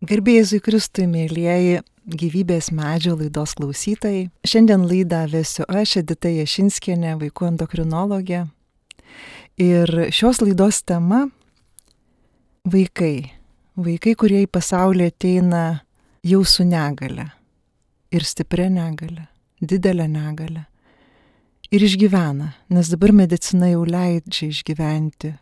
Garbė Jėzui Kristui, mėlyjeji gyvybės medžio laidos klausytojai. Šiandien laidą vesiu aš, Edita Jašinskienė, vaikų endokrinologė. Ir šios laidos tema - vaikai. Vaikai, kurie į pasaulį ateina jau su negale. Ir stipria negale, didelė negale. Ir išgyvena, nes dabar medicina jau leidžia išgyventi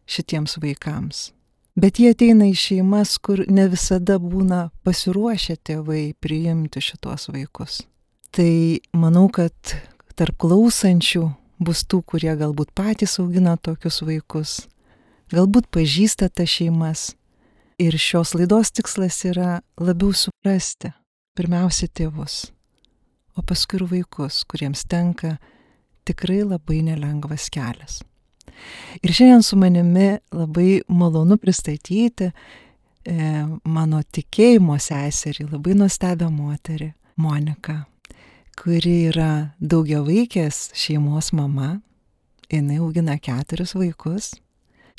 šitiems vaikams. Bet jie ateina į šeimas, kur ne visada būna pasiruošę tėvai priimti šitos vaikus. Tai manau, kad tarp klausančių bus tų, kurie galbūt patys augina tokius vaikus, galbūt pažįsta tas šeimas. Ir šios laidos tikslas yra labiau suprasti pirmiausia tėvus, o paskui ir vaikus, kuriems tenka tikrai labai nelengvas kelias. Ir šiandien su manimi labai malonu pristatyti mano tikėjimo seserį, labai nuostabią moterį, Moniką, kuri yra daugiavaikės šeimos mama. Jinai augina 4 vaikus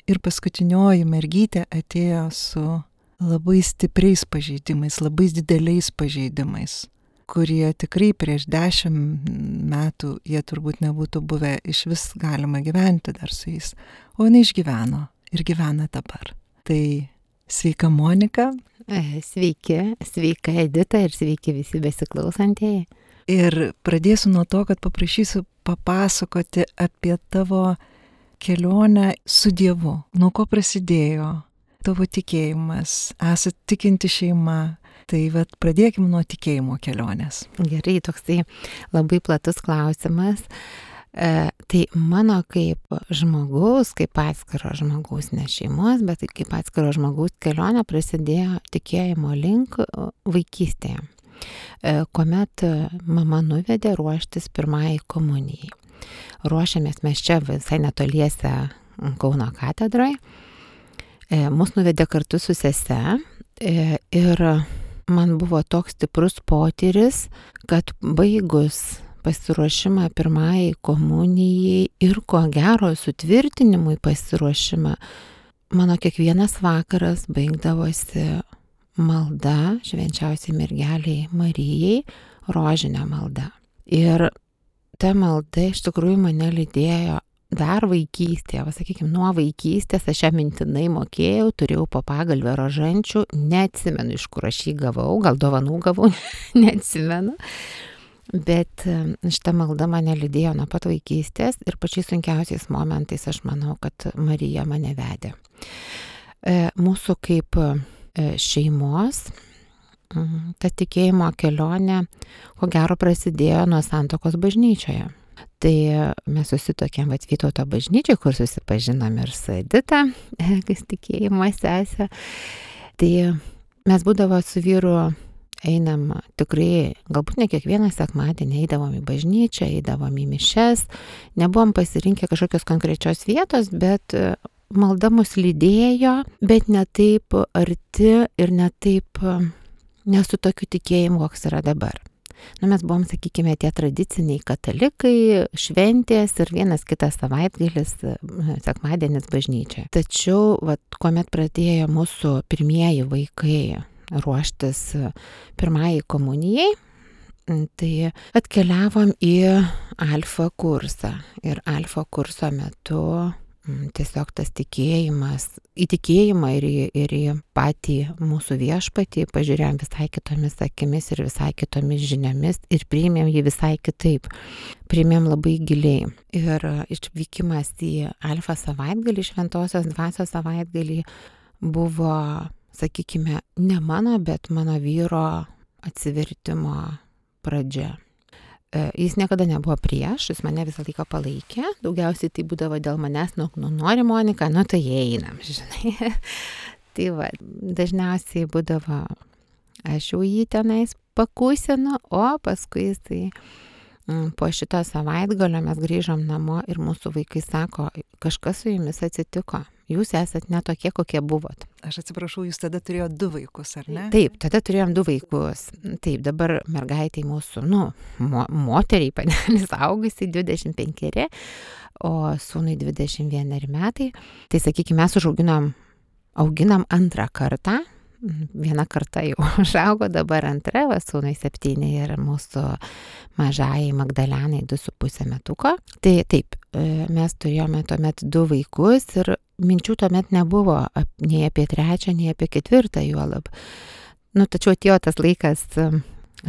ir paskutinioji mergytė atėjo su labai stipriais pažeidimais, labai dideliais pažeidimais, kurie tikrai prieš 10 metų jie turbūt nebūtų buvę iš vis galima gyventi dar su jais. O jinai išgyveno ir gyvena dabar. Tai sveika Monika. Sveika Edita ir sveiki visi besiklausantieji. Ir pradėsiu nuo to, kad paprašysiu papasakoti apie tavo kelionę su Dievu. Nuo ko prasidėjo tavo tikėjimas, esat tikinti šeima. Tai pradėkime nuo tikėjimo kelionės. Gerai, toksai labai platus klausimas. Tai mano kaip žmogaus, kaip atskiro žmogaus, ne šeimos, bet kaip atskiro žmogaus kelionė prasidėjo tikėjimo link vaikystėje, kuomet mama nuvedė ruoštis pirmajai komunijai. Ruošiamės mes čia visai netoliese Kauno katedroje. Mus nuvedė kartu su sese ir man buvo toks stiprus potyris, kad baigus pasiruošimą pirmajai komunijai ir ko gero sutvirtinimui pasiruošimą, mano kiekvienas vakaras baigdavosi malda švenčiausiai mergeliai Marijai, rožinė malda. Ir ta malda iš tikrųjų mane lydėjo dar vaikystėje, sakykime, nuo vaikystės aš ją mintinai mokėjau, turėjau po pagalvę rožančių, neatsimenu, iš kur aš jį gavau, gal dovanų gavau, neatsimenu. Bet šita malda mane lydėjo nuo pat vaikystės ir pačiais sunkiausiais momentais aš manau, kad Marija mane vedė. Mūsų kaip šeimos ta tikėjimo kelionė, ko gero, prasidėjo nuo santuokos bažnyčioje. Tai mes susitokėm Vytauto bažnyčiai, kur susipažinom ir su Edita, kas tikėjimo sesė. Tai mes būdavo su vyru einam tikrai, galbūt ne kiekvieną sekmadienį eidavom į bažnyčią, eidavom į mišias, nebuvom pasirinkę kažkokios konkrečios vietos, bet malda mus lydėjo, bet ne taip arti ir ne taip, nesu tokiu tikėjimu, koks yra dabar. Mes buvom, sakykime, tie tradiciniai katalikai, šventės ir vienas kitas savaitgalis, sekmadienis bažnyčioje. Tačiau, kuomet pradėjo mūsų pirmieji vaikai ruoštis pirmajai komunijai, tai atkeliavom į alfa kursą. Ir alfa kurso metu tiesiog tas tikėjimas, į tikėjimą ir į patį mūsų viešpatį pažiūrėjom visai kitomis akimis ir visai kitomis žiniomis ir priėmėm jį visai kitaip. Priėmėm labai giliai. Ir išvykimas į alfa savaitgalį, šventosios dvasios savaitgalį buvo, sakykime, ne mano, bet mano vyro atsivertimo pradžia. Jis niekada nebuvo prieš, jis mane visą laiką palaikė, daugiausiai tai būdavo dėl manęs, nori Monika, tai einam, žinai. Tai dažniausiai būdavo, aš jau jį tenais pakusinu, o paskui jisai po šito savaitgalio mes grįžom namo ir mūsų vaikai sako, kažkas su jumis atsitiko. Jūs esat ne tokie, kokie buvot. Aš atsiprašau, jūs tada turėjo 2 vaikus, ar ne? Taip, tada turėjom 2 vaikus. Taip, dabar mergaitai mūsų, moteriai panelis augusiai 25, o sūnui 21 metai. Tai sakykime, mes auginam 2 kartą viena karta jau užaugo, dabar antra, va, sūnui 7 ir mūsų mažai Magdalenai 2,5 metuko. Tai taip, mes turėjome tuomet 2 vaikus ir minčių tuomet nebuvo nei apie 3, nei apie 4 juolab. Tačiau atėjo tas laikas,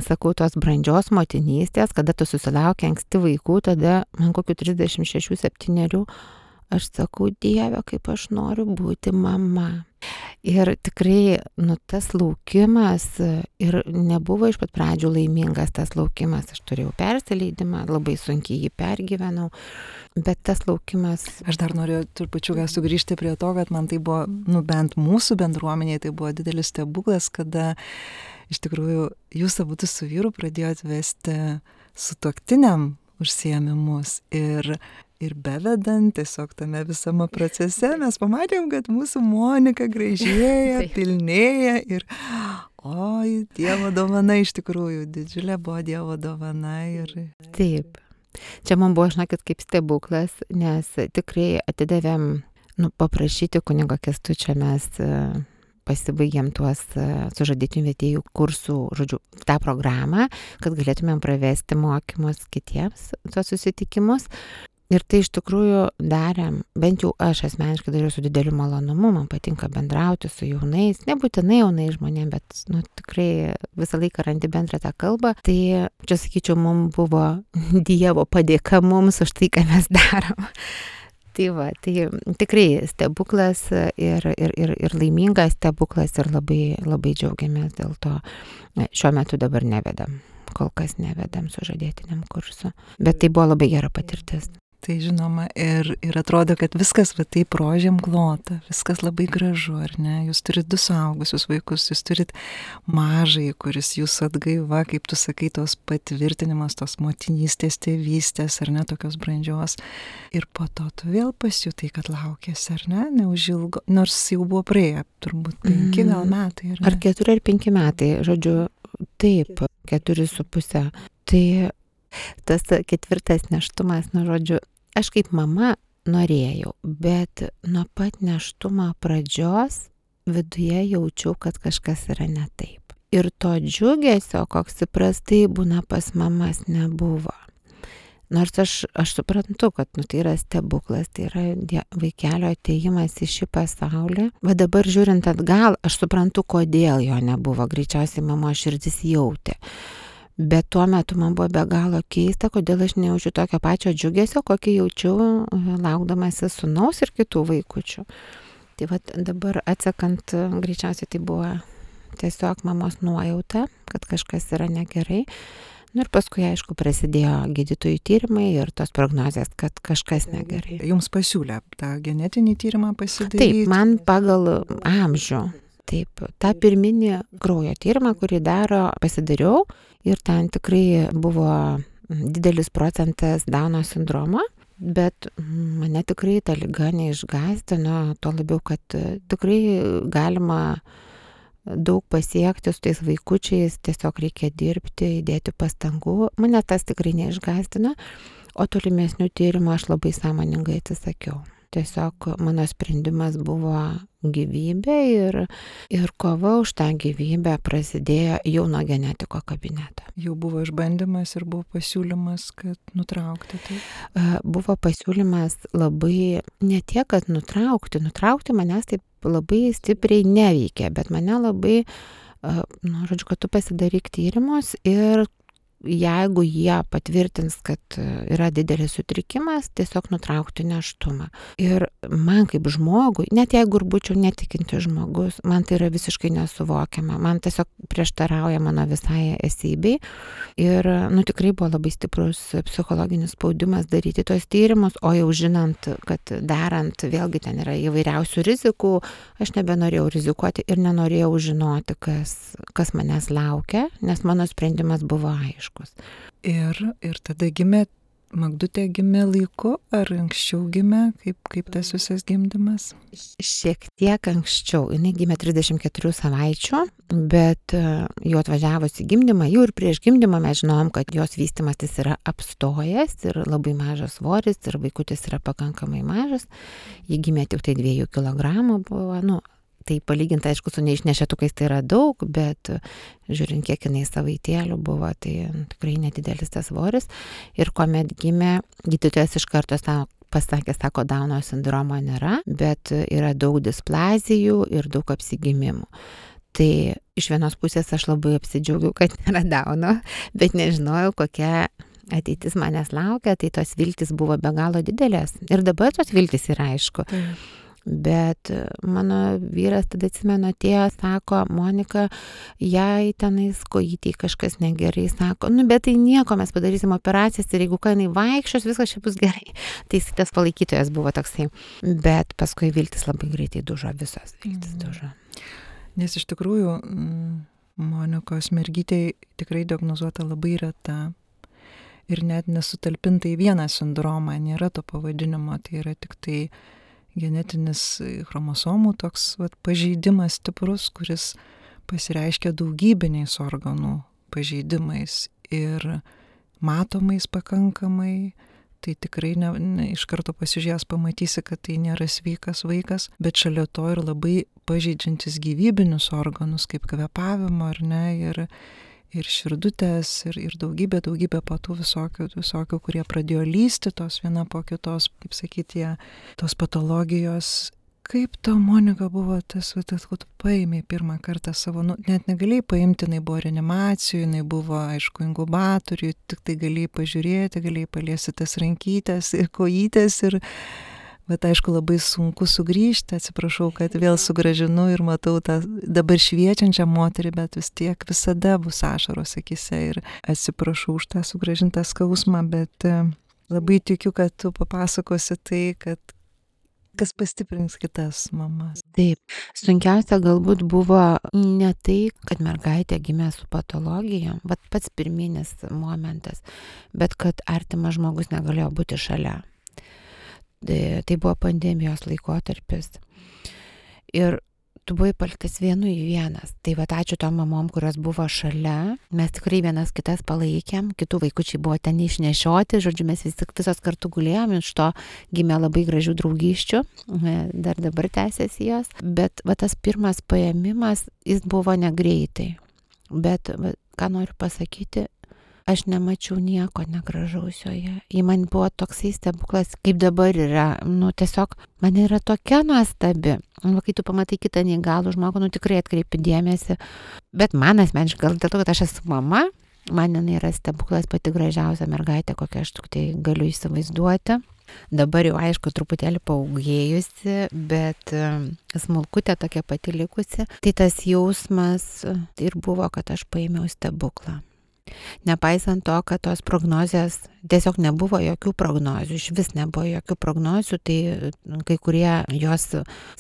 sakau, tos brandžios motinystės, kada tu susilauki anksti vaikų, tada man kokiu 36-7 aš sakau, Dieve, kaip aš noriu būti mama. Ir tikrai, tas laukimas ir nebuvo iš pat pradžių laimingas tas laukimas. Aš turėjau persileidimą, labai sunkiai jį pergyvenau, bet tas laukimas... Aš dar noriu trupučiuką sugrįžti prie to, kad man tai buvo, bent mūsų bendruomenėje, tai buvo didelis stebuklas, kada iš tikrųjų jūs abudu su vyru pradėjot vesti sutuoktiniam užsiėmimus ir bevedant tiesiog tame visame procese mes pamatėm, kad mūsų Monika gražėja, pilnėja ir oi, Dievo dovana iš tikrųjų, didžiulė buvo Dievo dovana. Taip. Čia man buvo, žinokit, kaip stebuklas, nes tikrai atidavėm, paprašyti kunigo Kęstučio, mes pasibaigėm tuos sužadėtinių vedėjų kursų, žodžiu, tą programą, kad galėtumėm pravesti mokymus kitiems, tuos susitikimus. Ir tai iš tikrųjų darėm, bent jau aš asmeniškai dariau su dideliu malonumu, man patinka bendrauti su jaunais, nebūtinai jaunais žmonėm, bet tikrai visą laiką randi bendrą tą kalbą. Tai čia sakyčiau, mums buvo Dievo padėka mums už tai, ką mes darom. Tai va, tai tikrai stebuklas ir laimingas stebuklas ir labai, labai džiaugiamės dėl to. Šiuo metu dabar nevedam, kol kas nevedam sužadėtiniam kursu, bet tai buvo labai gera patirtis. Tai žinoma, ir atrodo, kad viskas va taip rožėm klota, viskas labai gražu, ar ne? Jūs turit 2 suaugusius vaikus, jūs turit mažai, kuris jūsų atgaiva, kaip tu sakai, tos patvirtinimas, tos motinystės, tėvystės, ar ne, tokios brandžios. Ir po to tu vėl pasijutai, kad laukėsi, ar ne, neužilgo, nors jau buvo praėję turbūt 5 gal metai. Ar 4 ar 5 metai, žodžiu, taip, 4,5. Tai tas 4 nėštumas, žodžiu, aš kaip mama norėjau, bet nuo pat nėštumo pradžios viduje jaučiau, kad kažkas yra ne taip. Ir to džiugesio, koks įprastai būna pas mamas, nebuvo. Nors aš suprantu, kad tai yra stebuklas, tai yra vaikelio atėjimas į šį pasaulį. Va dabar žiūrint atgal, aš suprantu, kodėl jo nebuvo. Greičiausiai mamos širdis jautė. Bet tuo metu man buvo be galo keista, kodėl aš nejaučiu tokio pačio džiugesio, kokį jaučiu laukdamasi sūnaus ir kitų vaikučių. Tai va dabar atsekant, greičiausiai tai buvo tiesiog mamos nuojauta, kad kažkas yra negerai. Ir paskui, aišku, prasidėjo gydytojų tyrimai ir tos prognozės, kad kažkas negerai. Jums pasiūlė tą genetinį tyrimą pasidaryti? Taip, man pagal amžių. Taip, tą pirminį kraujo tyrimą, kurį pasidariau ir ten tikrai buvo didelis procentas Dauno sindromo, bet mane tikrai ta liga neišgąsdino, tuo labiau, kad tikrai galima daug pasiekti su tais vaikučiais, tiesiog reikia dirbti, įdėti pastangų. Mane tas tikrai neišgąsdino, o tolimesnių tyrimų aš labai sąmoningai atsisakiau. Tiesiog mano sprendimas buvo gyvybė ir kova už tą gyvybę prasidėjo jau nuo genetiko kabineto. Jau buvo išbandymas ir buvo pasiūlymas, kad nutraukti tai? Buvo pasiūlymas labai, ne tiek, kad nutraukti manęs taip labai stipriai neveikia, bet mane labai, žodžiu, kad tu pasidaryk tyrimus ir jeigu jie patvirtins, kad yra didelis sutrikimas, tiesiog nutraukti nėštumą. Ir man kaip žmogui, net jeigu ir būčiau netikintis žmogus, man tai yra visiškai nesuvokiama. Man tiesiog prieštarauja mano visai esybei. Ir tikrai buvo labai stiprus psichologinis spaudimas daryti tos tyrimus, o jau žinant, kad darant, vėlgi ten yra įvairiausių rizikų, aš nebenorėjau rizikuoti ir nenorėjau žinoti, kas manęs laukia, nes mano sprendimas buvo aiškus. Ir tada Magdutė gimė laiku, ar anksčiau gimė, kaip tas visas gimdymas? Šiek tiek anksčiau, jinai gimė 34 savaičių, bet jau atvažiavus į gimdymą, jau ir prieš gimdymą mes žinom, kad jos vystymasis yra apstojęs ir labai mažas svoris ir vaikutis yra pakankamai mažas, ji gimė tik tai 2 kg buvo, tai palyginti, aišku, su neišnešėtukais tai yra daug, bet žiūrint, kiek jinai savaitėlių buvo, tai tikrai nedidelis tas svoris. Ir kuomet gimė, gydytojas iš karto pasakė, sako, Dauno sindromo nėra, bet yra daug displazijų ir daug apsigimimų. Tai iš vienos pusės aš labai apsidžiaugiau, kad nėra Dauno, bet nežinojau, kokia ateitis manęs laukia, tai tos viltis buvo be galo didelės. Ir dabar tos viltis yra, aišku. Bet mano vyras tada atsimenu atėjo, sako, Monika, jai tenais kojytei kažkas negerai, sako, bet tai nieko, mes padarysim operacijas ir jeigu ką jinai vaikščios, viskas čia bus gerai. Tai tas palaikytojas buvo toksai. Bet paskui viltis labai greitai dužo, visos viltis dužo. Nes iš tikrųjų Monikos mergytei tikrai diagnozuota labai reta. Ir net nesutalpinta į vieną sindromą, nėra to pavadinimo, tai yra tik tai genetinis chromosomų toks pažeidimas stiprus, kuris pasireiškia daugybiniais organų pažeidimais ir matomais pakankamai, tai tikrai iš karto pasižiūrėjęs pamatysi, kad tai nėra sveikas vaikas, bet šalia to ir labai pažeidžiantis gyvybinius organus, kaip kvėpavimo, ar ne, ir širdutės, ir daugybė patų visokių, kurie pradėjo lysti tos viena po kitos, kaip sakyti, tos patologijos. Kaip tau, Monika, buvo tas, kad tu paėmė pirmą kartą savo, net negalėjai paimti, jinai buvo reanimacijų, jinai buvo, aišku, inkubatorių, tik tai galėjai pažiūrėti, galėjai paliesti tas rankytės ir kojytės bet aišku, labai sunku sugrįžti, atsiprašau, kad vėl sugrąžinu ir matau tą dabar šviečiančią moterį, bet vis tiek visada bus ašaros akyse ir atsiprašau už tą sugrąžintą skausmą, bet labai tikiu, kad tu papasakosi tai, kad kas pastiprins kitas mamas. Taip, sunkiausia galbūt buvo ne tai, kad mergaitė gimė su patologija, bet pats pirminis momentas, bet kad artimas žmogus negalėjo būti šalia. Tai buvo pandemijos laikotarpis. Ir tu buvai paliktas vienu į vienas. Tai ačiū tom mamom, kurios buvo šalia. Mes tikrai vienas kitas palaikėm. Kitų vaikučiai buvo ten išnešioti. Žodžiu, mes visos kartu gulėjom. Iš to gimė labai gražių draugysčių. Dar dabar tęsiasi jos. Bet tas pirmas paėmimas, jis buvo negreitai. Bet ką noriu pasakyti, aš nemačiau nieko negražaus joje. Ji man buvo toksai stebuklas, kaip dabar yra. Tiesiog man yra tokia nuostabi. Kai tu pamatai kitą neįgalų žmogų, tikrai atkreipi dėmesį. Bet man asmeniškai, gal dėl to, kad aš esu mama, man jinai yra stebuklas, pati gražiausia mergaitė, kokią aš tik tai galiu įsivaizduoti. Dabar jau, aišku, truputėlį paauglėjusi, bet smulkutė tokia pati likusi. Tai tas jausmas ir buvo, kad aš paėmiau stebuklą. Nepaisant to, kad tos prognozės, tiesiog nebuvo jokių prognozių, iš vis nebuvo jokių prognozių, tai kai kurie jos,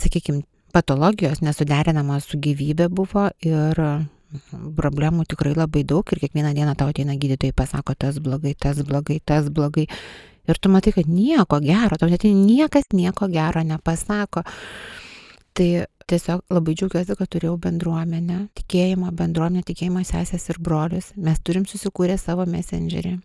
sakykime, patologijos nesuderinamos su gyvybė buvo ir problemų tikrai labai daug ir kiekvieną dieną tau ateina gydytojai, pasako tas blogai, tas blogai, tas blogai. Ir tu matai, kad nieko gero, tau net niekas nieko gero nepasako. Tai tiesiog labai džiaugiuosi, kad turėjau bendruomenę, tikėjimo sesės ir brolius. Mes turim susikūrę savo messengerį.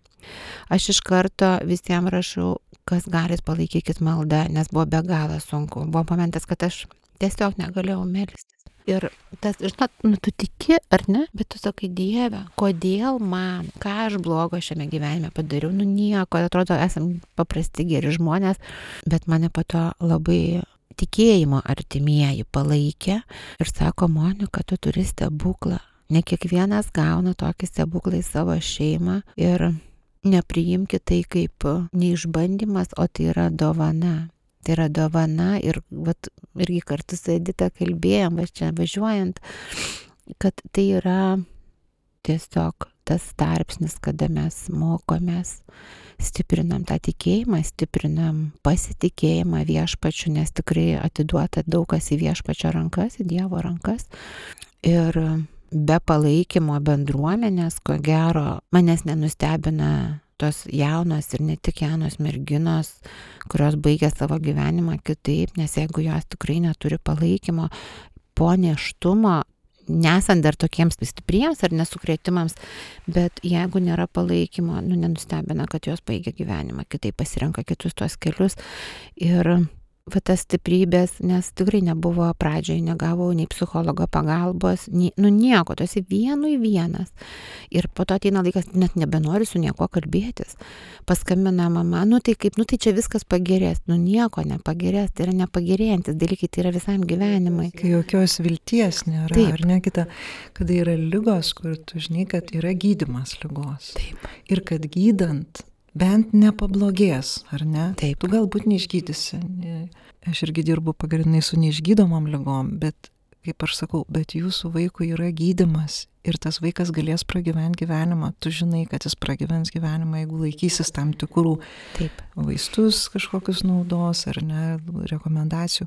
Aš iš karto visiems rašau, kas galit, palaikykit maldą, nes buvo be galo sunku. Buvo momentas, kad aš tiesiog negalėjau melstis. Ir tas, tu tiki, ar ne? Bet tu sakai, Dieve, kodėl man, ką aš blogo šiame gyvenime padariau? Nieko, atrodo, esam paprasti geri žmonės, bet mane po to labai tikėjimo artimieji palaikė ir sako, Monika, tu turi stebuklą. Ne kiekvienas gauna tokį stebuklą į savo šeimą ir nepriimki tai kaip neišbandymas, o tai yra dovana. Tai yra dovana ir irgi kartu su Edita kalbėjom, čia važiuojant, kad tai yra tiesiog tas tarpsnis, kada mes mokomės, stiprinam tą tikėjimą, stiprinam pasitikėjimą viešpačiu, nes tikrai atiduota daug kas į viešpačio rankas, į Dievo rankas. Ir be palaikymo bendruomenės, ko gero, manęs nenustebina tos jaunos ir ne tik jaunos merginos, kurios baigia savo gyvenimą kitaip, nes jeigu jos tikrai neturi palaikymo po nėštumo, nesant dar tokiems stipriems ar nesukrėtimams, bet jeigu nėra palaikymo, nenustebina, kad jos baigia gyvenimą, kitaip pasirenka kitus tuos kelius. Ir va tas stiprybės, nes tikrai nebuvo pradžioj, negavau nei psichologo pagalbos, nieko, tu esi vienu į vienas. Ir po to ateina laikas, net nebenori su nieko kalbėtis. Paskambina mama, tai čia viskas pagerės, nieko nepagerės, tai yra nepagerėjantis dalykai, tai yra visam gyvenimui. Kai jokios vilties nėra, Taip. Ar ne kita, kada yra ligos, kur tu žinai, kad yra gydymas ligos. Taip. Ir kad gydant bent nepablogės, ar ne? Taip. Tu galbūt neišgydysi. Aš irgi dirbu pagrindinai su neišgydomom ligom, bet, kaip aš sakau, bet jūsų vaikui yra gydymas ir tas vaikas galės pragyventi gyvenimą. Tu žinai, kad jis pragyvens gyvenimą, jeigu laikysis tam tikrų Taip. vaistus kažkokius naudos, ar ne, rekomendacijų.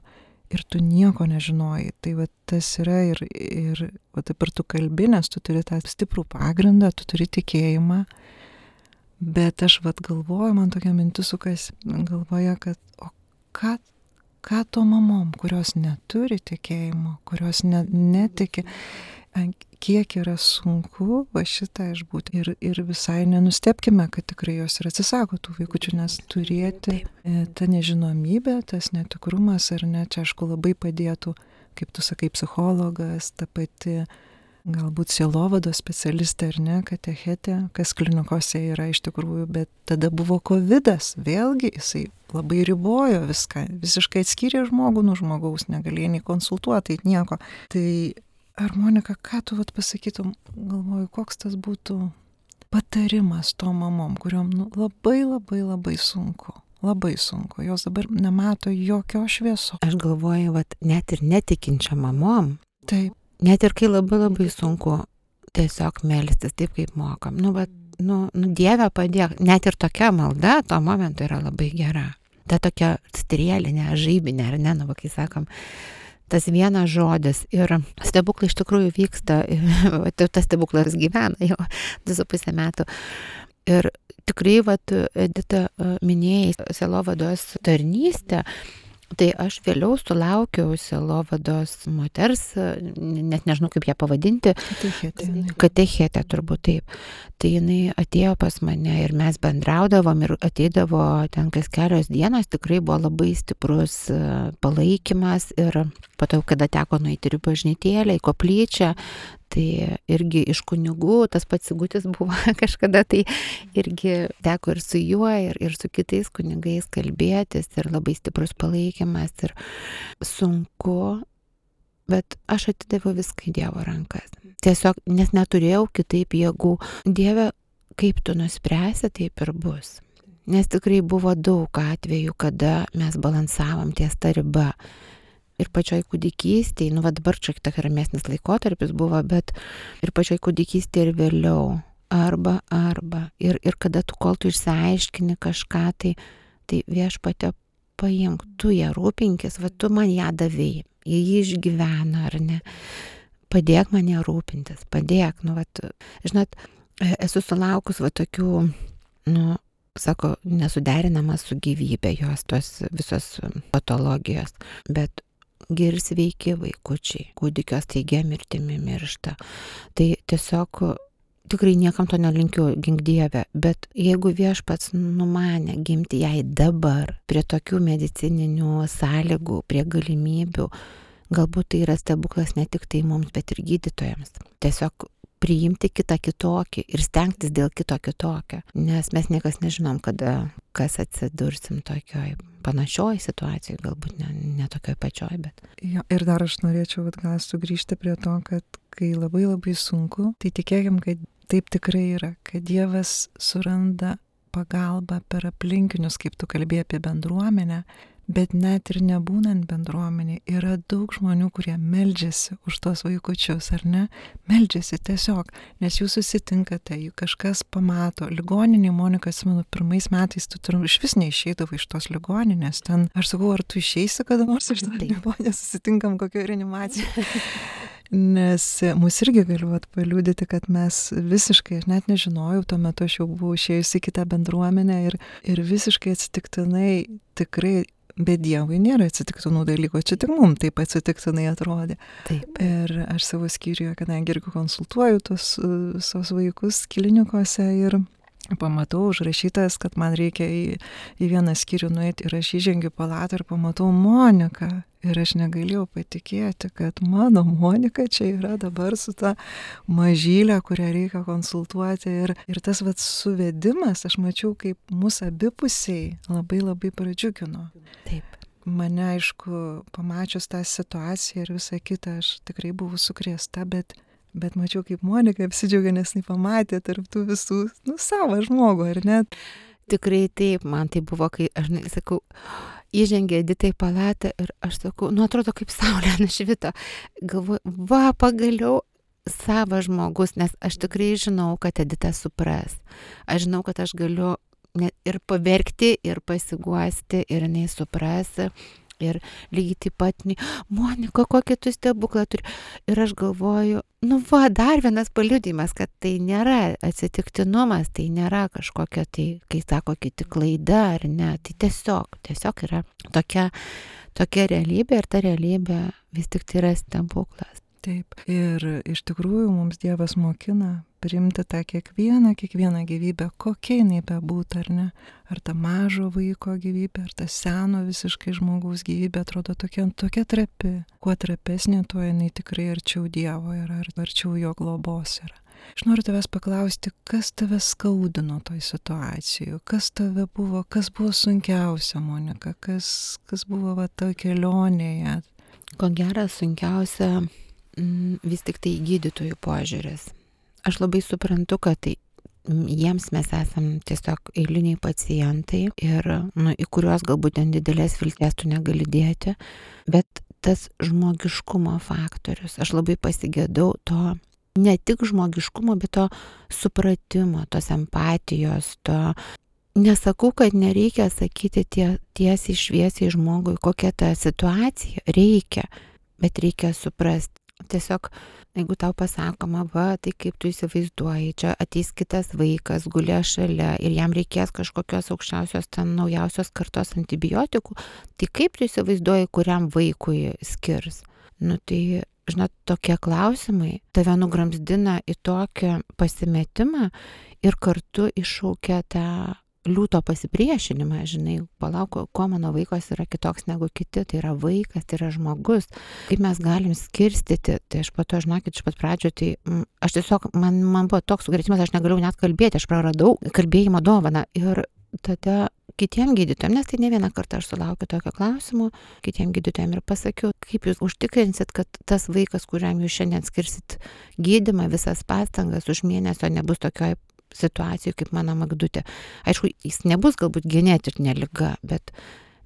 Ir tu nieko nežinojai. Tai va tas yra ir va taip ir tu kalbi, nes tu turi tą stiprų pagrindą, tu turi tikėjimą. Bet aš galvoju, man tokia mintis sukasi galvoje, kad o ką to mamom, kurios neturi tikėjimo, kurios netiki, kiek yra sunku va šitą išbūti. Ir visai nenustebkime, kad tikrai jos ir atsisako tų vaikučių, nes turėti tą nežinomybę, tas netikrumas, ar ne, čia aišku labai padėtų, kaip tu sakai, psichologas, ta pati galbūt sielovados specialistė ar ne, katechetė, kas klinikose yra iš tikrųjų, bet tada buvo kovidas, vėlgi jisai labai ribojo viską, visiškai atskyrė žmogų nuo žmogaus, negalėjo nei konsultuoti, nieko. Tai ar Monika, ką tu pasakytum, galvoju, koks tas būtų patarimas to mamom, kuriuom labai sunku. Labai sunku, jos dabar nemato jokio švieso. Aš galvoju, net ir netikinčiam mamom. Taip. Net ir kai labai sunku tiesiog melstis taip, kaip mokam. Dieve padėk. Net ir tokia malda tuo momentu yra labai gera. Ta tokia strėlinė, žaibinė, ar ne, kai sakom, tas vienas žodis. Ir stebuklai iš tikrųjų vyksta, tas stebuklas gyvena jau 2,5 metų. Ir tikrai, Edita, minėjai sielovados tarnystę. Tai aš vėliau sulaukiau sielovados moters, net nežinau kaip ją pavadinti. Katechetė turbūt taip. Tai jinai atėjo pas mane ir mes bendraudavom ir ateidavo ten kas kelios dienos, tikrai buvo labai stiprus palaikymas ir po to, kada teko nueiti į bažnytėlę, į koplyčią, tai irgi iš kunigų, tas pats Sigutis buvo kažkada, tai irgi teko ir su juo, ir su kitais kunigais kalbėtis, ir labai stiprus palaikymas, ir sunku, bet aš atidaviau viską į Dievo rankas. Tiesiog, nes neturėjau kitaip jėgų. Dieve, kaip tu nuspręsi, taip ir bus. Nes tikrai buvo daug atvejų, kada mes balansavom ties ta riba. Ir pačioj kūdikystėje, dabar čia tokia ramesnis laikotarpis buvo, bet ir pačioj kūdikystėje ir vėliau. Arba. Ir kada tu, kol tu išsiaiškini kažką, tai Viešpatie paimk, tu ją rūpinkis, tu man ją davėjai, jį išgyvena, ar ne. Padėk man ją rūpintis, padėk, žinot, esu sulaukus tokių, sako, nesuderinamas su gyvybė jos tos visos patologijos, bet ir sveiki vaikučiai, kūdikio staigia mirtimi miršta. Tai tiesiog tikrai niekam to nelinkiu, gink Dieve, bet jeigu Viešpats numanė gimti jai dabar, prie tokių medicininių sąlygų, prie galimybių, galbūt tai yra stebuklas ne tik tai mums, bet ir gydytojams. Tiesiog priimti kitą kitokį ir stengtis dėl kito kitokio, nes mes niekas nežinom, kas atsidursim tokioj panašioj situacijoj, galbūt ne tokioj pačioj, bet. Jo, ir dar aš norėčiau gal sugrįžti prie to, kad kai labai sunku, tai tikėkim, kad taip tikrai yra, kad Dievas suranda pagalbą per aplinkinius, kaip tu kalbėjai apie bendruomenę, bet net ir nebūnant bendruomenė, yra daug žmonių, kurie meldžiasi už tos vaikučius, ar ne? Meldžiasi tiesiog, nes jūs susitinkate, jų kažkas pamato. Ligoninė, Monika, atsimenu, 1 metais tu iš vis neišeidavai iš tos ligoninės. Ten, aš sakau, ar tu išeisi kada nors iš tos ligoninės, susitinkam kokio reanimaciją. Nes mus irgi galiu paliūdyti, kad mes visiškai, aš net nežinojau, tuo metu aš jau buvau išėjusi į kitą bendruomenę ir visiškai atsitiktinai tikrai. Bet Dievui nėra atsitiktinų dalykų, čia tik mums taip atsitiktinai atrodė. Taip. Ir aš savo skyriuje, kadangi irgi konsultuoju tos visos vaikus klinikose ir pamatau užrašytas, kad man reikia į vieną skyrių nueiti ir aš įžengiu palatą ir pamatau Moniką. Ir aš negalėjau patikėti, kad mano Monika čia yra dabar su ta mažylė, kurią reikia konsultuoti. Ir tas suvedimas, aš mačiau, kaip mūsų abipusiai labai labai pradžiugino. Taip. Mane, aišku, pamačius tą situaciją ir visą kitą, aš tikrai buvau sukrėsta, bet mačiau, kaip Monika apsidžiaugia, nes jis pamatė tarp tų visų, savo žmogų, ar ne? Tikrai taip, man tai buvo, kai aš sakau, įžengė Edita į palatą ir aš sakau, atrodo kaip saulė nušvito. Galvoju, pagaliau savas žmogus, nes aš tikrai žinau, kad Edita supras. Aš žinau, kad aš galiu ir paverkti, ir pasiguosti, ir jinai supras. Ir lygiai taip pat, Monika, kokį tu stebuklą turi. Ir aš galvoju, dar vienas paliudijimas, kad tai nėra atsitiktinumas, tai nėra kažkokia, tai, kai sako kiti, klaida ar ne, tai tiesiog yra tokia realybė ir ta realybė vis tik tai yra stebuklas. Taip. Ir iš tikrųjų mums Dievas mokina priimti tą kiekvieną gyvybę, kokia jinai bebūtų, ar ne? Ar ta mažo vaiko gyvybė, ar ta seno visiškai žmogaus gyvybė atrodo tokia trapi. Kuo trapesnė, tuo jinai tikrai arčiau Dievo yra, arčiau jo globos yra. Aš noriu tavęs paklausti, kas tave skaudino toj situacijoje, kas buvo sunkiausia, Monika, kas buvo toj kelionėje? Ko gero sunkiausia vis tik tai gydytojų požiūris. Aš labai suprantu, kad jiems mes esam tiesiog eiliniai pacientai ir į kuriuos galbūt ten didelės vilties tu negali dėti, bet tas žmogiškumo faktorius, aš labai pasigėdau to, ne tik žmogiškumo, bet to supratimo, tos empatijos, to. Nesakau, kad nereikia sakyti tiesiai šviesiai žmogui, kokia ta situacija, reikia, bet reikia suprasti. Tiesiog, jeigu tau pasakoma, tai kaip tu įsivaizduoji, čia ateis kitas vaikas, gulė šalia ir jam reikės kažkokios aukščiausios, naujausios kartos antibiotikų, tai kaip tu įsivaizduoji, kuriam vaikui skirs? Tai, žinot, tokie klausimai tave nugramzdina į tokį pasimetimą ir kartu iššaukia tą liūto pasipriešinimą, žinai, palauk, kuo mano vaikas yra kitoks negu kiti, tai yra vaikas, tai yra žmogus, kaip mes galim skirstyti, tai aš po to, žinokit, iš pat pradžio, tai aš tiesiog, man buvo toks sukrėtimas, aš negalėjau net kalbėti, aš praradau kalbėjimo dovaną ir tada kitiem gydytojam, nes tai ne vieną kartą aš sulaukiu tokio klausimo, kitiem gydytojam ir pasakiau, kaip jūs užtikrinsit, kad tas vaikas, kuriam jūs šiandien skirsit gydymą, visas pastangas už mėnesio nebus tokioj situacijų kaip mano Magdutė. Aišku, jis nebus galbūt genetinė liga, bet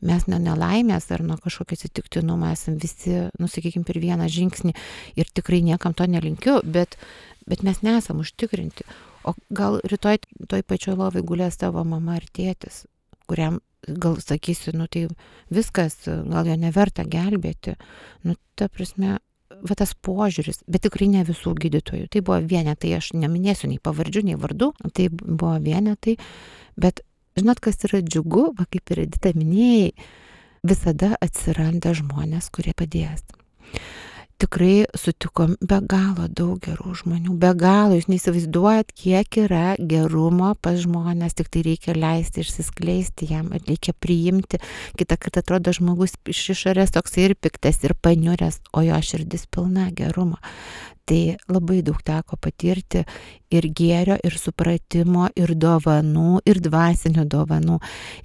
mes nuo nelaimės ar nuo kažkokio atsitiktinumo esam visi, sakykime, per vieną žingsnį ir tikrai niekam to nelinkiu, bet mes nesam užtikrinti. O gal rytoj toj pačioj lovai gulės tavo mama ar tėtis, kuriam gal sakysi, tai viskas, gal jo neverta gelbėti. Ta prasme, tas požiūris, bet tikrai ne visų gydytojų. Tai buvo vienetai, aš neminėsiu nei pavardžių, nei vardų, tai buvo vienetai, bet žinot, kas yra džiugu, kaip ir Edita minėjai, visada atsiranda žmonės, kurie padės. Tikrai sutikom be galo daug gerų žmonių, be galo, jūs neįsivaizduojat, kiek yra gerumo pas žmonės, tik tai reikia leisti išsiskleisti jam, reikia priimti. Kitą kartą atrodo žmogus iš išorės toks ir piktas, ir paniuręs, o jo širdis pilna gerumo. Tai labai daug teko patirti ir gėrio, ir supratimo, ir dovanų, ir dvasinių dovanų.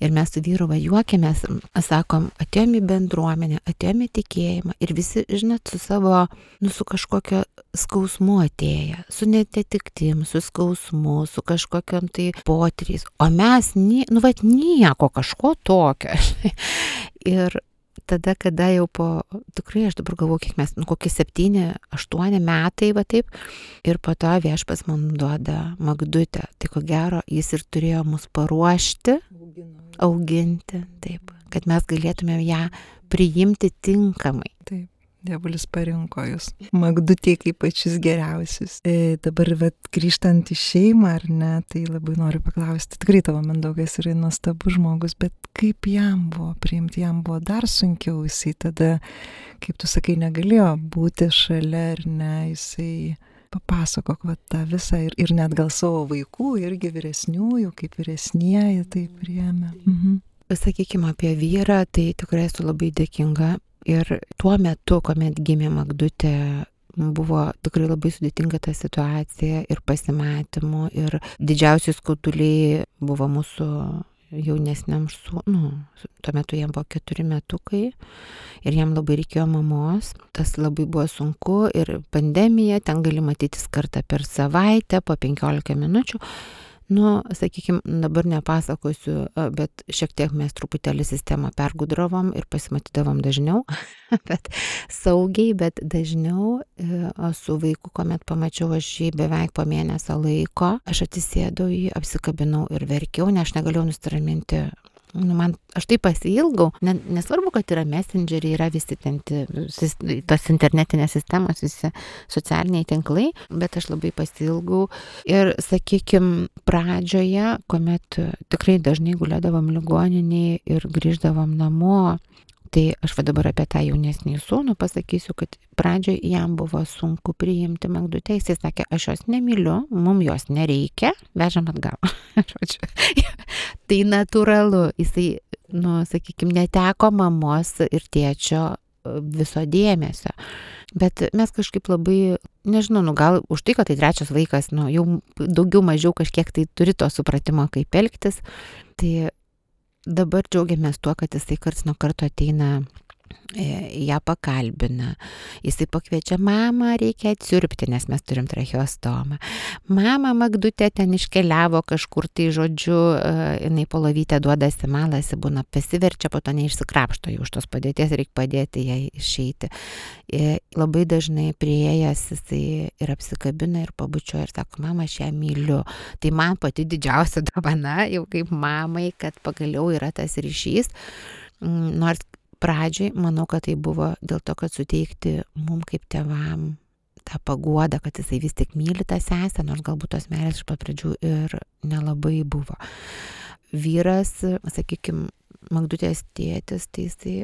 Ir mes su vyru juokėmės, sakom, atėjom į bendruomenę, atėjom į tikėjimą ir visi, žinot, su savo, su kažkokio skausmu atėję, su netetiktim, su skausmu, su kažkokiam tai potyriais. O mes, nieko kažko tokio. Ir tada, kada jau tikrai aš dabar galvoju, kiek mes, kokie 7-8 metai, taip, ir po to Viešpats man duoda Magdutę. Tai ko gero, jis ir turėjo mus paruošti, auginti, taip, kad mes galėtumėm ją priimti tinkamai. Taip. Dievulis parinko jūs, Magdutė, kaip pačius geriausius. Dabar grįžtant į šeimą, ar ne, tai labai noriu paklausti, tikrai tavo Mindaugas yra nuostabus žmogus, bet kaip jam buvo priimti, jam buvo dar sunkiau, jisai tada, kaip tu sakai, negalėjo būti šalia, ar ne, jisai papasakok tą visą ir net gal savo vaikų, irgi vyresniųjų, kaip vyresnieji tai priėmė. Sakykime apie vyrą, tai tikrai esu labai dėkinga. Ir tuo metu, kuomet gimė Magdutė, buvo tikrai labai sudėtinga ta situacija ir pasimatymų. Ir didžiausi skauduliai buvo mūsų jaunesniam sūnui. Tuo metu jam buvo 4 metukai ir jam labai reikėjo mamos. Tas labai buvo sunku ir pandemija, ten gali matytis kartą per savaitę, po 15 minučių. Sakykime, dabar nepasakosiu, bet šiek tiek mes truputėlį sistemą pergudravom ir pasimatydavom dažniau, bet saugiai, bet dažniau. Su vaiku, kuomet pamačiau aš jį beveik po mėnesio laiko, aš atsisėdau jį, apsikabinau ir verkiau, nes aš negalėjau nusiraminti. Aš taip pasiilgau, nesvarbu, kad yra messengeriai, yra visi ten tos internetinės sistemos, visi socialiniai tinklai, bet aš labai pasiilgau. Ir sakykime, pradžioje, kuomet tikrai dažnai gulėdavom ligoninėje ir grįždavom namo, tai aš dabar apie tą jaunesnį sūnų pasakysiu, kad pradžioje jam buvo sunku priimti Magdutę. Jis sakė, aš jos nemyliu, mums jos nereikia, vežam atgal. Tai natūralu, jisai, sakykime, neteko mamos ir tėčio viso dėmesio. Bet mes kažkaip labai, nežinau, gal už tai, kad tai 3 vaikas, jau daugiau mažiau kažkiek tai turi to supratimo, kaip elgtis. Tai dabar džiaugiamės tuo, kad jisai karts nuo karto ateina, ją pakalbina. Jisai pakviečia, mama, reikia atsiurbti, nes mes turim tracheostomą. Mama, Magdutė ten iškeliavo kažkur, tai žodžiu, jinai po lovytę duodasi, malasi, būna pasiverčia, po to neišsikrapšto, jau už tos padėties reikia padėti jai išeiti. Labai dažnai priėjęs jisai ir apsikabina ir pabučioja ir sako, mama, aš ją myliu. Tai man pati didžiausia dovana, jau kaip mamai, kad pagaliau yra tas ryšys. Nors pradžiai, manau, kad tai buvo dėl to, kad suteikti mum kaip tėvam tą paguodą, kad jisai vis tik myli tą sesę, nors galbūt tos meilės iš pat pradžių ir nelabai buvo. Vyras, sakykime, Magdutės tėtis, tai jisai,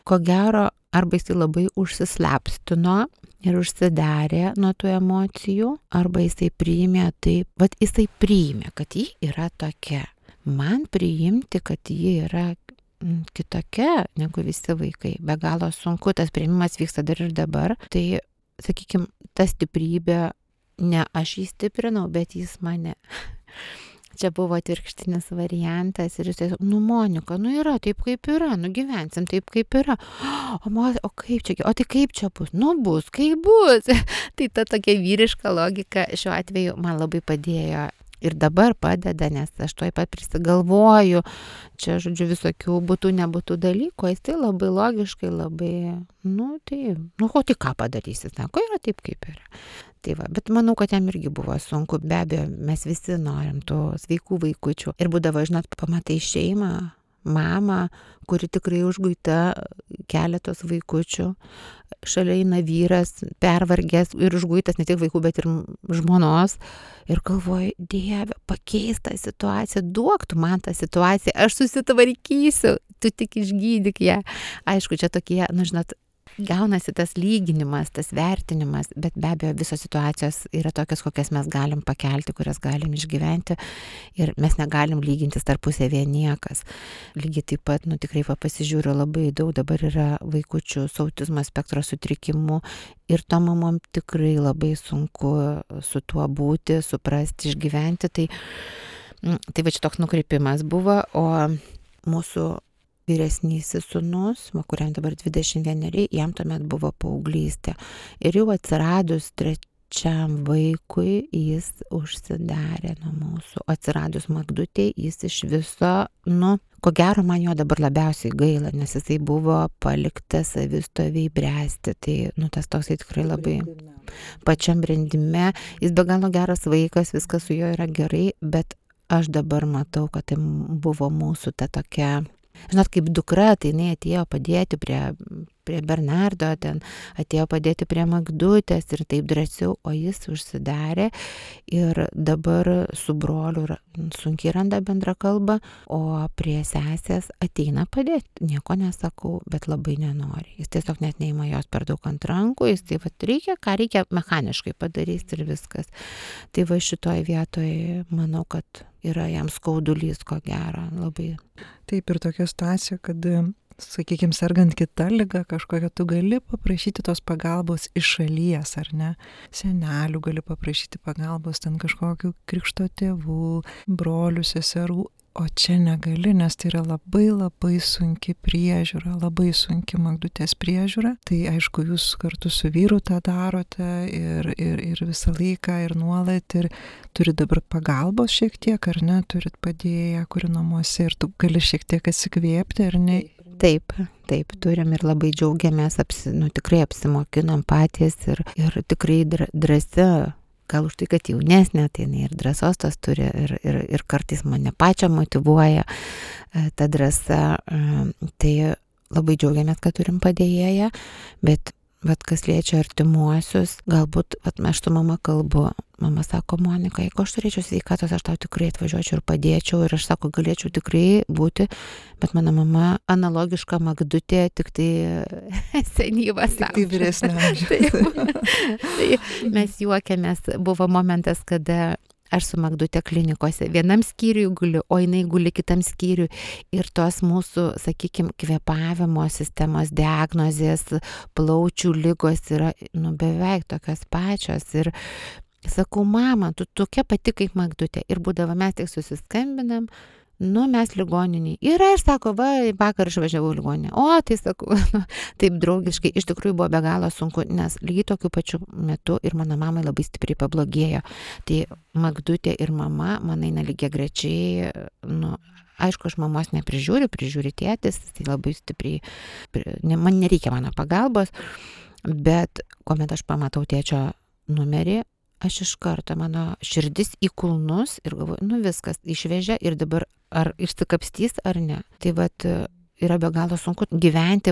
ko gero, arba jisai labai užsislapstino ir užsidarė nuo tų emocijų, arba jisai priėmė taip, jisai priėmė, kad ji yra tokia. Man priimti, kad ji yra kitokia negu visi vaikai. Be galo sunku, tas priėmimas vyksta dar ir dabar. Tai, sakykime, ta stiprybė, ne aš jį stiprinau, bet jis mane. Čia buvo atvirkštinis variantas ir jis, Monika, yra taip kaip yra, gyvensim taip kaip yra. O kaip čia, o tai kaip čia bus? Bus, kaip bus. Tai ta tokia vyriška logika šiuo atveju man labai padėjo. Ir dabar padeda, nes aš tuoj pat prisigalvoju, čia, žodžiu, visokių būtų, nebūtų dalykų, jis tai labai logiškai, labai, tai ką padarysi, sako, yra taip, kaip yra. Tai bet manau, kad jam irgi buvo sunku, be abejo, mes visi norim tų sveikų vaikučių. Ir būdavo, žinot, pamatai šeimą, mamą, kuri tikrai užguita keletos vaikučių, šalia eina vyras, pervargęs ir užguitas ne tik vaikų, bet ir žmonos. Ir galvoju, Dieve, pakeis tą situaciją, duok tu man tą situaciją, aš susitvarkysiu, tu tik išgydyk ją. Aišku, čia tokie, žinot, gaunasi tas lyginimas, tas vertinimas, bet be abejo visos situacijos yra tokios, kokias mes galim pakelti, kurias galim išgyventi ir mes negalim lygintis tarpusavėje niekas. Lygiai taip pat, tikrai pasižiūriu, labai daug dabar yra vaikučių su autizmo spektro sutrikimu ir to mamom tikrai labai sunku su tuo būti, suprasti, išgyventi. Tai čia toks nukreipimas buvo, o mūsų vyresnysis sūnus, kuriam dabar 21, jam tuomet buvo paauglystė. Ir jau atsiradus 3 vaikui, jis užsidarė nuo mūsų. Atsiradus Magdutei, jis iš viso, ko gero man jo dabar labiausiai gaila, nes jisai buvo paliktas savistoviai bręsti. Tai, tas toksai tikrai labai pačiam brendime. Jis be galo geras vaikas, viskas su juo yra gerai, bet aš dabar matau, kad tai buvo mūsų ta tokia, žinot, kaip dukra, tai jinai atėjo padėti prie prie Bernardo, ten atėjo padėti prie Magdutės ir taip drąsiau, o jis užsidarė ir dabar su broliu sunkiai randa bendrą kalbą, o prie sesės ateina padėti, nieko nesakau, bet labai nenori. Jis tiesiog net neima jos per daug ant rankų, jis tai reikia, ką reikia, mechaniškai padarys ir viskas. Tai va šitoj vietoje manau, kad yra jam skaudulys, ko gero, labai. Taip, ir tokia situacija, kad, sakykime, sergant kitą ligą kažkokią, tu gali paprašyti tos pagalbos iš šalies, ar ne? Senelių gali paprašyti pagalbos, ten kažkokių krikšto tėvų, brolių, seserų, o čia negali, nes tai yra labai labai sunki priežiūra, labai sunki Magdutės priežiūra. Tai aišku, jūs kartu su vyru tą darote ir visą laiką, ir nuolat, ir turit dabar pagalbos šiek tiek, ar ne, turit padėję, kuri namuose, ir tu gali šiek tiek atsikvėpti, ar ne? Taip, turim ir labai džiaugiamės, tikrai apsimokinom patys ir tikrai drąsi. Gal už tai, kad jaunesnė, tai ir drąsos tos turi ir kartais mane pačią motyvuoja ta drąsa. Tai labai džiaugiamės, kad turim padėjėją, bet kas liečia artimuosius, galbūt aš su mama kalbu. Mama sako, Monika, jeigu aš turėčiau sveikatos, aš tau tikrai atvažiuočiau ir padėčiau. Ir aš sako, galėčiau tikrai būti, bet mano mama analogiška Magdutė, tik tai senyvas. Tai vyresnė amžiaus. Tai mes juokiamės, buvo momentas, kada aš su Magdute klinikose vienam skyriui guliu, o jinai guli kitam skyriui. Ir tos mūsų, sakykime, kvėpavimo sistemos diagnozės, plaučių ligos yra beveik tokios pačios. Ir sakau, mama, tu tokia pati kaip Magdutė. Ir būdavo mes tik susiskambinam, mes ligoniniai. Ir aš sako, vakar išvažiavau ligoninę. O, tai sakau, taip draugiškai. Iš tikrųjų buvo be galo sunku, nes lygiai tokiu pačiu metu ir mano mamai labai stipriai pablogėjo. Tai Magdutė ir mama, man eina lygiagrečiai, aišku, aš mamos neprižiūri tėtis, tai labai stipriai, man nereikia mano pagalbos, bet kuomet aš pamatau tėčio numerį, aš iš karto, mano širdis į kulnus ir galvoju, viskas, išvežė ir dabar ar išsikapstys ar ne. Tai yra be galo sunku gyventi,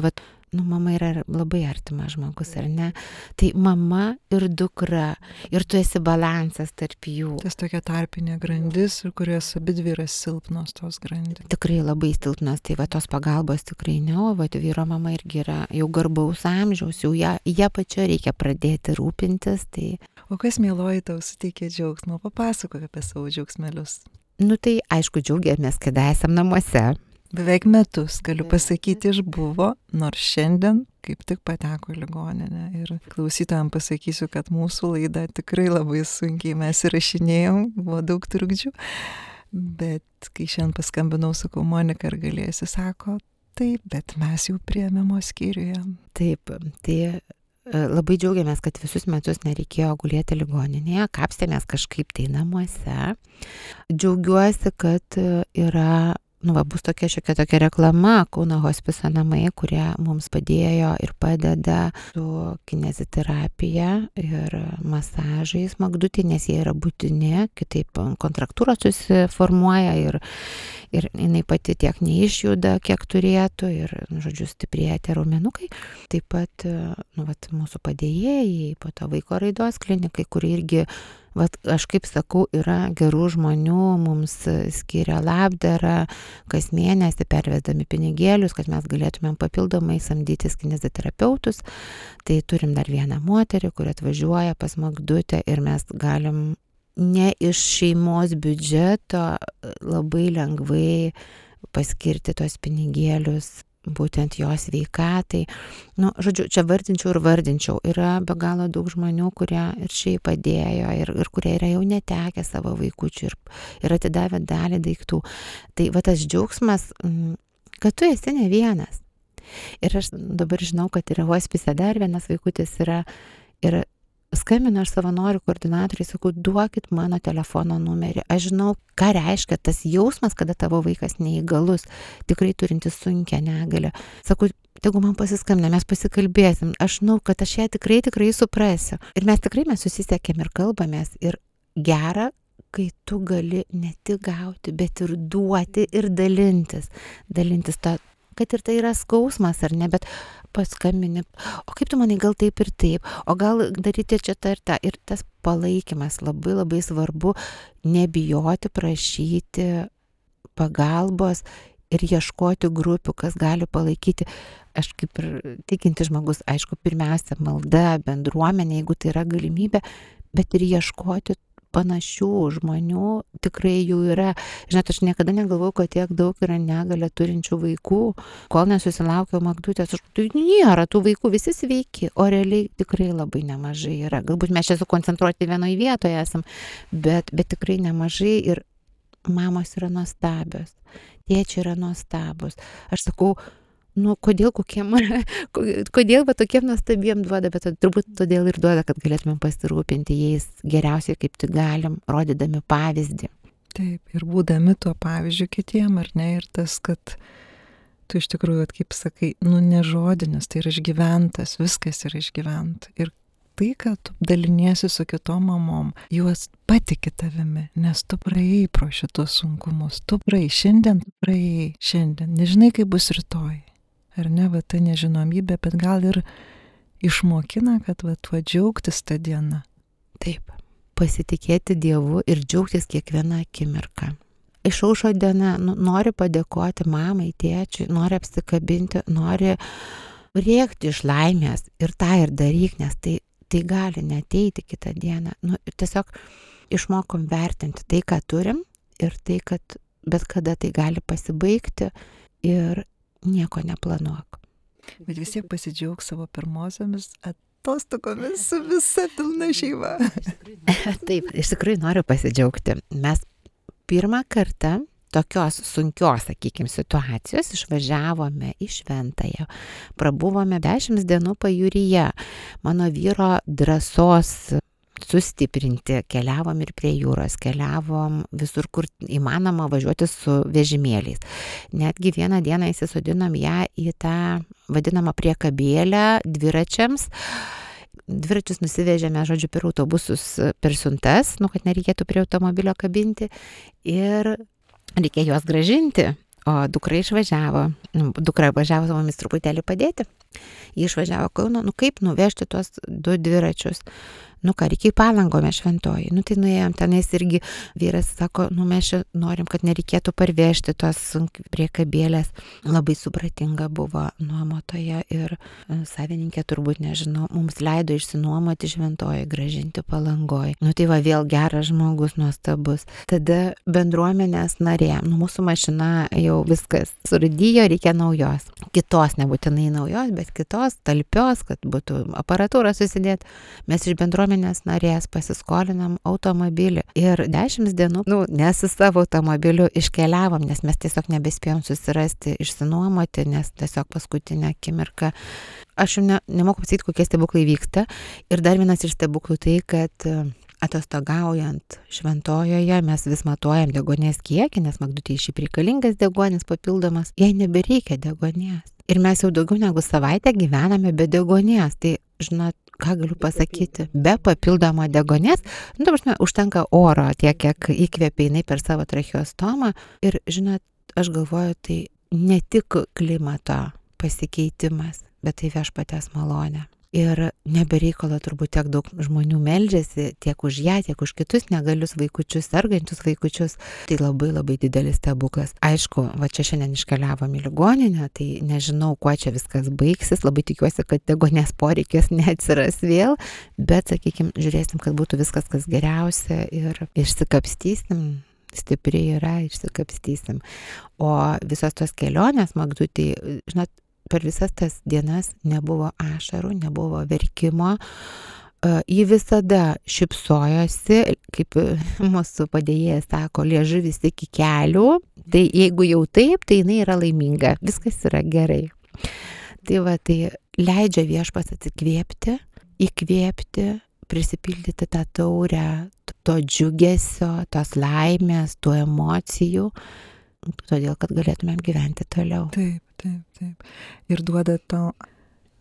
mama yra labai artimas žmogus, ar ne? Tai mama ir dukra, ir tu esi balansas tarp jų. Tas tokia tarpinė grandis, kurios abidvi yra silpnos tos grandys. Tikrai labai silpnos, tai tos pagalbos tikrai ne, o vyro mama irgi yra jau garbaus amžiaus, jau ją pačia reikia pradėti rūpintis. Tai... O kas, mieloji, tau suteikė džiaugsmo? Papasakok apie savo džiaugsmelius. Tai aišku, džiaugiamės, kad esam namuose. Beveik metus, galiu pasakyti, išbuvo, nors šiandien kaip tik pateko į ligoninę. Ir klausytojams pasakysiu, kad mūsų laida tikrai labai sunkiai mes įrašinėjom, buvo daug trukdžių. Bet kai šiandien paskambinau, sakau, Monika, ar galėsi, sako, taip, bet mes jau priėmimo skyriuje. Taip, tai labai džiaugiamės, kad visus metus nereikėjo gulėti ligoninėje, kapstėmės kažkaip tai namuose. Džiaugiuosi, kad yra bus tokia reklama Kauno hospiso namai, kurie mums padėjo ir padeda su kineziterapija ir masažais Magdutė, nes jie yra būtini, kitaip kontraktūros susiformuoja ir jinai pati tiek neišjuda, kiek turėtų ir, stiprėja tie raumenukai. Taip pat, mūsų padėjėjai, po to vaiko raidos klinikai, kurie irgi aš kaip sakau, yra gerų žmonių, mums skiria labdarą, kas mėnesį pervesdami pinigėlius, kad mes galėtumėm papildomai samdytis kineziterapeutus. Tai turim dar vieną moterį, kuri atvažiuoja pas Magdutę ir mes galim ne iš šeimos biudžeto labai lengvai paskirti tos pinigėlius būtent jos veikatai. Čia vardinčiau. Yra be galo daug žmonių, kurie ir šiaip padėjo ir kurie yra jau netekę savo vaikučių ir atidavę dalį daiktų. Tai tas džiaugsmas, kad tu esi ne vienas. Ir aš dabar žinau, kad yra hospise dar vienas vaikutis yra ir skambinu aš savanorių koordinatoriai, sakau, duokit mano telefono numerį. Aš žinau, ką reiškia tas jausmas, kada tavo vaikas neįgalus, tikrai turintis sunkią negalią. Sakau, tegu man pasiskambina, mes pasikalbėsim. Aš žinau, kad aš ją tikrai suprasiu. Ir mes susisiekėm ir kalbamės. Ir gera, kai tu gali ne tik gauti, bet ir duoti ir dalintis. Dalintis kad ir tai yra skausmas ar ne, bet paskambini, o kaip tu manai, gal taip ir taip, o gal daryti čia tą ir tą. Ir tas palaikymas labai labai svarbu, nebijoti prašyti pagalbos ir ieškoti grupių, kas gali palaikyti. Aš kaip ir tikintis žmogus, aišku, pirmiausia malda, bendruomenė, jeigu tai yra galimybė, bet ir ieškoti panašių žmonių, tikrai jų yra. Žinot, aš niekada negalvojau, kad tiek daug yra negalią turinčių vaikų, kol nesusilaukiau Magdutės. Tai nėra tų vaikų, visi sveiki, o realiai tikrai labai nemažai yra. Galbūt mes čia sukoncentruoti vienoje vietoje esam, bet tikrai nemažai ir mamos yra nuostabios, tėčiai yra nuostabus. Aš sakau, kodėl kodėl tokiem nuostabiem duoda, bet turbūt todėl ir duoda, kad galėtume pasirūpinti jais geriausiai kaip tik galim, rodydami pavyzdį. Taip, ir būdami tuo pavyzdžiu kitiem, ar ne, ir tas, kad tu iš tikrųjų, kaip sakai, nežodinis, tai yra išgyventas, viskas yra išgyventa. Ir tai, kad tu daliniesi su kitom mamom, juos patiki tavimi, nes tu praėjai pro šitos sunkumus, tu praėjai, šiandien, nežinai, kaip bus rytoj. Ar ne, va ta nežinomybė, bet gal ir išmokina, kad va tuo džiaugtis tą dieną. Taip, pasitikėti Dievu ir džiaugtis kiekvieną akimirką. Išaušo diena, nori padėkoti mamai, tėčiui, nori apsikabinti, nori rėkti iš laimės ir tą ir daryk, nes tai gali neateiti kitą dieną. Tiesiog išmokom vertinti tai, ką turim ir tai, kad bet kada tai gali pasibaigti ir nieko neplanuok. Bet vis tiek pasidžiaug savo pirmosiomis atostogomis su visa pilna šeima. Taip, iš tikrųjų noriu pasidžiaugti. Mes pirmą kartą tokios sunkios, sakykime, situacijos išvažiavome į Šventąją. Prabuvome 10 dienų pajūryje. Mano vyro drąsos sustiprinti, keliavom ir prie jūros, keliavom visur, kur įmanoma važiuoti su vežimėliais. Netgi vieną dieną įsisodinom ją į tą vadinamą priekabėlę dviračiams. Dviračius nusivežėme, žodžiu, per autobusus, per siuntas, kad nereikėtų prie automobilio kabinti ir reikėjo juos grąžinti. O dukra išvažiavo. Dukra važiavo su mumis truputėlį padėti. Ji išvažiavo Kauno, kaip nuvežti tuos 2 dviračius. Reikia į Palangą, mes Šventoji. Tai nuėjom tenais irgi vyras sako, mes čia norim, kad nereikėtų parvežti tos priekabėlės. Labai supratinga buvo nuomotoje ir savininkė turbūt, nežinau, mums leido išsinuomoti Šventoji, grąžinti Palangoj. Tai va, vėl geras žmogus, nuostabus. Tada bendruomenės narė, mūsų mašina jau viskas surūdijo, reikia naujos. Kitos, nebūtinai naujos, bet kitos, talpios, kad būtų aparatūra susidėti. Mes iš bendruomenės narės pasiskolinam automobilį ir 10 dienų, ne su savo automobiliu iškeliavom, nes mes tiesiog nebespėjom susirasti, išsinuomoti, nes tiesiog paskutinę akimirką. Aš jau nemoku pasakyti, kokie stebuklai vyksta. Ir dar vienas iš stebuklų tai, kad atostogaujant Šventojoje mes vis matuojam deguonies kiekį, nes Magdutei šiaip reikalingas deguonis papildomas, jai nebereikia deguonies. Ir mes jau daugiau negu savaitę gyvename be deguonies. Tai, žinot, ką galiu pasakyti, be papildomo deguonies, užtenka oro tiek, kiek įkvėpia jinai per savo tracheostomą. Ir, žinot, aš galvoju, tai ne tik klimato pasikeitimas, bet tai viešpaties malonė. Ir nebereikalo turbūt tiek daug žmonių meldžiasi tiek už ją, tiek už kitus negalius vaikučius, sergančius vaikučius. Tai labai labai didelis stebuklas. Aišku, va čia šiandien iškeliavom į ligoninę, tai nežinau, kuo čia viskas baigsis. Labai tikiuosi, kad deguonies poreikis neatsiras vėl, bet, sakykime, žiūrėsim, kad būtų viskas kas geriausia ir išsikapstysim. Stipriai yra, išsikapstysim. O visos tos kelionės Magdutei, žinot, per visas tas dienas nebuvo ašarų, nebuvo verkimo. Ji visada šypsojosi, kaip mūsų padėjėjas sako, liežuvis iki kelių. Tai jeigu jau taip, tai jinai yra laiminga. Viskas yra gerai. Tai va, tai leidžia viešpats atsikvėpti, įkvėpti, prisipildyti tą taurę, to džiugesio, tos laimės, tų emocijų, todėl, kad galėtumėm gyventi toliau. Taip. Ir duoda to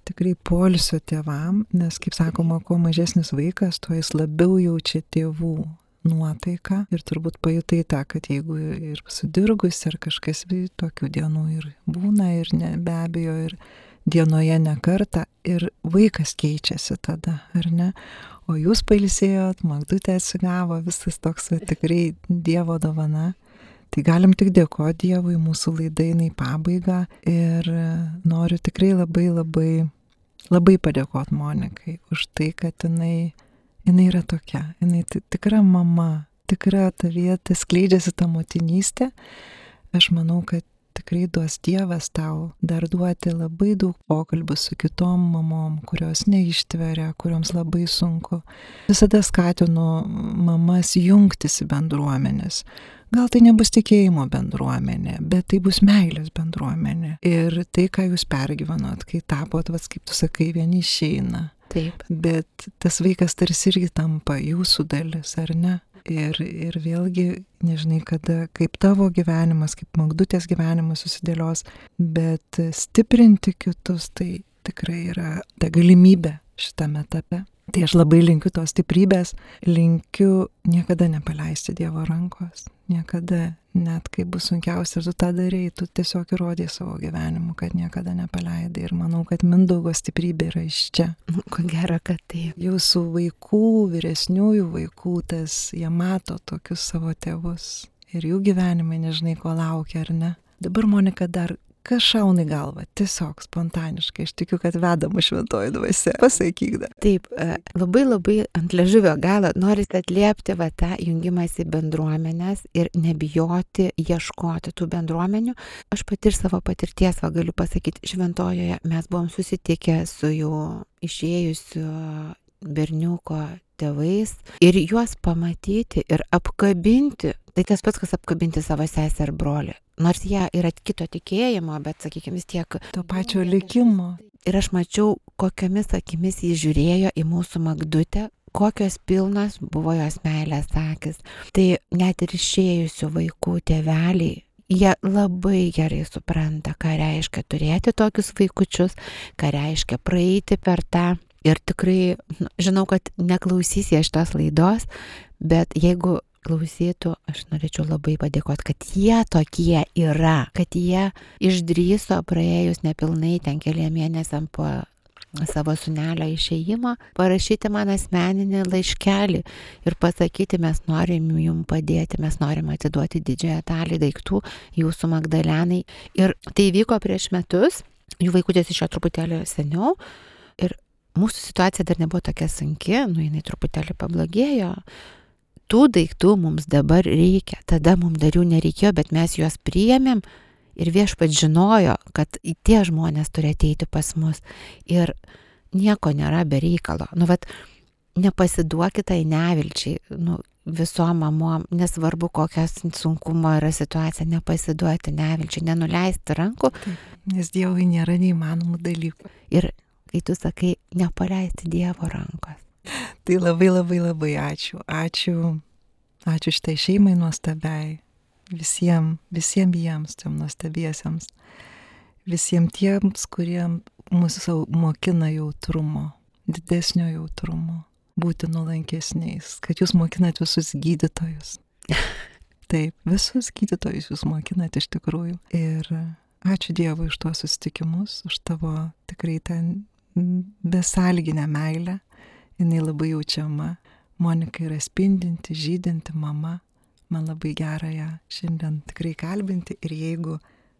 tikrai poilsio tėvam, nes, kaip sakoma, kuo mažesnis vaikas, tuo jis labiau jaučia tėvų nuotaiką ir turbūt pajutai tą, kad jeigu ir sudirgus, ar kažkas tokių dienų ir būna, ir be abejo, ir dienoje ne kartą, ir vaikas keičiasi tada, ar ne? O jūs pailsėjot, Magdutė atsigavo, visas toks tikrai Dievo dovana. Tai galim tik dėkoti Dievui, mūsų laida eina į pabaigą ir noriu tikrai labai padėkoti Monikai už tai, kad jinai yra tokia, jinai tikra mama, tikra tavyje, skleidžiasi ta motinystė. Aš manau, kad tikrai duos Dievas tau dar duoti labai daug pokalbių su kitom mamom, kurios neištveria, kurioms labai sunku. Visada skatinu mamas jungtis į bendruomenės. Gal tai nebus tikėjimo bendruomenė, bet tai bus meilės bendruomenė. Ir tai, ką jūs pergyvenot, kai tapot, kaip tu sakai, vieni išeina. Taip. Bet tas vaikas tarsi irgi tampa jūsų dalis, ar ne? Ir vėlgi, nežinai, kada, kaip tavo gyvenimas, kaip Magdutės gyvenimas susidėlios, bet stiprinti kitus, tai tikrai yra ta galimybė šitame etape. Tai aš labai linkiu tos stiprybės, linkiu niekada nepaleisti Dievo rankos, niekada, net kai bus sunkiausia, tu tą darei, tu tiesiog įrodai savo gyvenimu, kad niekada nepaleidai. Ir manau, kad Mindaugo stiprybė yra iš čia. Ko gero, kad taip. Jūsų vaikų, vyresniųjų vaikų, jie mato tokius savo tėvus ir jų gyvenimai nežinai, ko laukia, ar ne. Dabar, Monika, dar kas šauna į galvą, tiesiog spontaniškai, aš tikiu, kad vedama šventoji dvasia. Pasakyk dar. Taip, labai ant liežuvio galo norisi atliepti tą jungimąsi bendruomenės ir nebijoti ieškoti tų bendruomenių. Aš pati iš savo patirties galiu pasakyti, šventojoje mes buvom susitikę su jau išėjusiu berniuko tėvais ir juos pamatyti ir apkabinti. Tai tas pats, kas apkabinti savo sesę ar brolį. Nors jie yra kito tikėjimo, bet, sakykime, vis tiek to pačio likimo. Ir aš mačiau, kokiomis akimis jis žiūrėjo į mūsų Magdutę, kokios pilnos buvo jos meilės akys. Tai net ir išėjusių vaikų tėveliai, jie labai gerai supranta, ką reiškia turėti tokius vaikučius, ką reiškia praeiti per tą. Ir tikrai, žinau, kad neklausys jie šitos laidos, bet jeigu klausytų, aš norėčiau labai padėkoti, kad jie tokie yra, kad jie išdrįso praėjus nepilnai ten keliem mėnesiam po savo sūnelio išėjimo, parašyti man asmeninį laiškelį ir pasakyti, mes norim jums padėti, mes norim atiduoti didžiąją dalį daiktų jūsų Magdalenai. Ir tai vyko prieš metus, jų vaikutis išėjo truputėlį seniau ir mūsų situacija dar nebuvo tokia sunki, jinai truputėlį pablogėjo. Tų daiktų mums dabar reikia, tada mums dar jų nereikėjo, bet mes juos priėmėm ir Viešpats žinojo, kad tie žmonės turi ateiti pas mus ir nieko nėra be reikalo. Nepasiduokit tai nevilčiai, visom mamom, nesvarbu kokias sunkumo yra situacija, nepasiduoti nevilčiai, nenuleisti rankų. Taip, nes Dievui nėra neįmanomų dalykų. Ir kai tu sakai, nepaleisti Dievo rankos. Tai labai ačiū. Ačiū šitai šeimai nuostabiai, visiems jiems, tiem nuostabiesiems, visiems tiems, kurie mūsų mokina jautrumo, didesnio jautrumo, būti nuolankesniais, kad jūs mokinat visus gydytojus. Taip, visus gydytojus jūs mokinat iš tikrųjų. Ir ačiū Dievui už tuos susitikimus, už tavo tikrai ten besąlyginę meilę. Jinai labai jaučiama. Monika yra spindinti, žydinti mama. Man labai gera ją šiandien tikrai kalbinti. Ir jeigu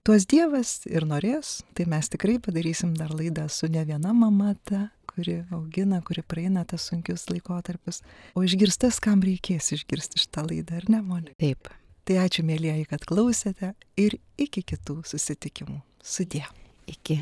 tuos Dievas ir norės, tai mes tikrai padarysim dar laidą su ne viena mama ta, kuri augina, kuri praeina tas sunkius laikotarpius. O išgirstas, kam reikės išgirsti šitą laidą, ar ne, Monika? Taip. Tai ačiū, mėlyjeji, kad klausėte ir iki kitų susitikimų. Sudie. Iki.